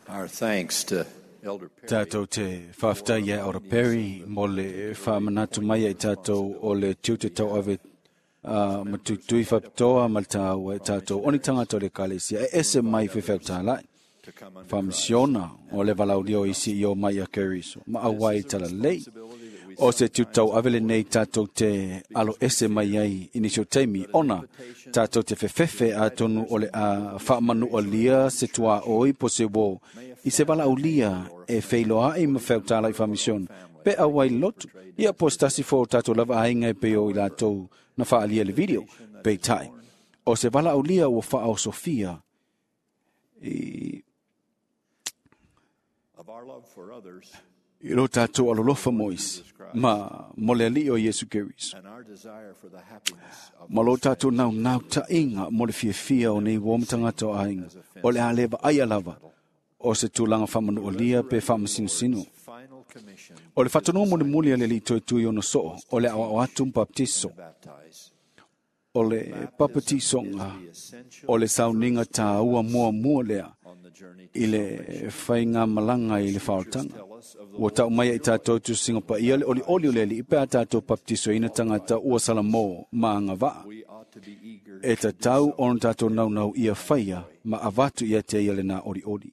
Our thanks to Elder Perry. Tātou te whawhitai ia Elder Perry mo le whaamanatu mai ai tātou o le tiute tau ave ma tuitui whapitoa ma le tāua e tātou oni tangata o le kalesia e ese mai whewheu tālai. To come under Whamisiona o le valaulia o isi i o mai a Keriso. Ma awai tala lei. O se tūtau avele nei tātou te alo ese mai ai inisi o taimi. Ona tātou te whewhewhe a tonu o le a whaamanu o lia se tua oi po se wō. I se valaulia e wheiloa ai ma wheu tālai whamisiona. Pe a wai lotu. Ia po stasi fo tātou lava ainga e pe o i lātou na whaalia le video. Pe tai. O se valaulia ua wha o Sofia i of our love for others i lo tātou alolofa moisi, ma mo le ali o Yesu Keriso. and our desire for the happiness of Ma lo tātou nau nau ta inga mo le fia o nei wōmatangata o ainga, o le alewa ai alava, o se tūlanga whamanu o lia pe whamasinosino. final commission O le whatanua mo le muli a le li toi tui ono soo, o le awa atu baptiso, baptize. o le papatisonga, o le sauninga tā ua mua mua lea, On the journey to i le whainga malanga i le whaotanga. Ua tau mai i tātou tu singa pa ia le oli oli o le li i pēa tātou baptiso ina tangata ua salamo maanga waa. we ought to be eager E ta tau ona tātou nau nau ia whaia ma avatu ia te ia le nā ori ori.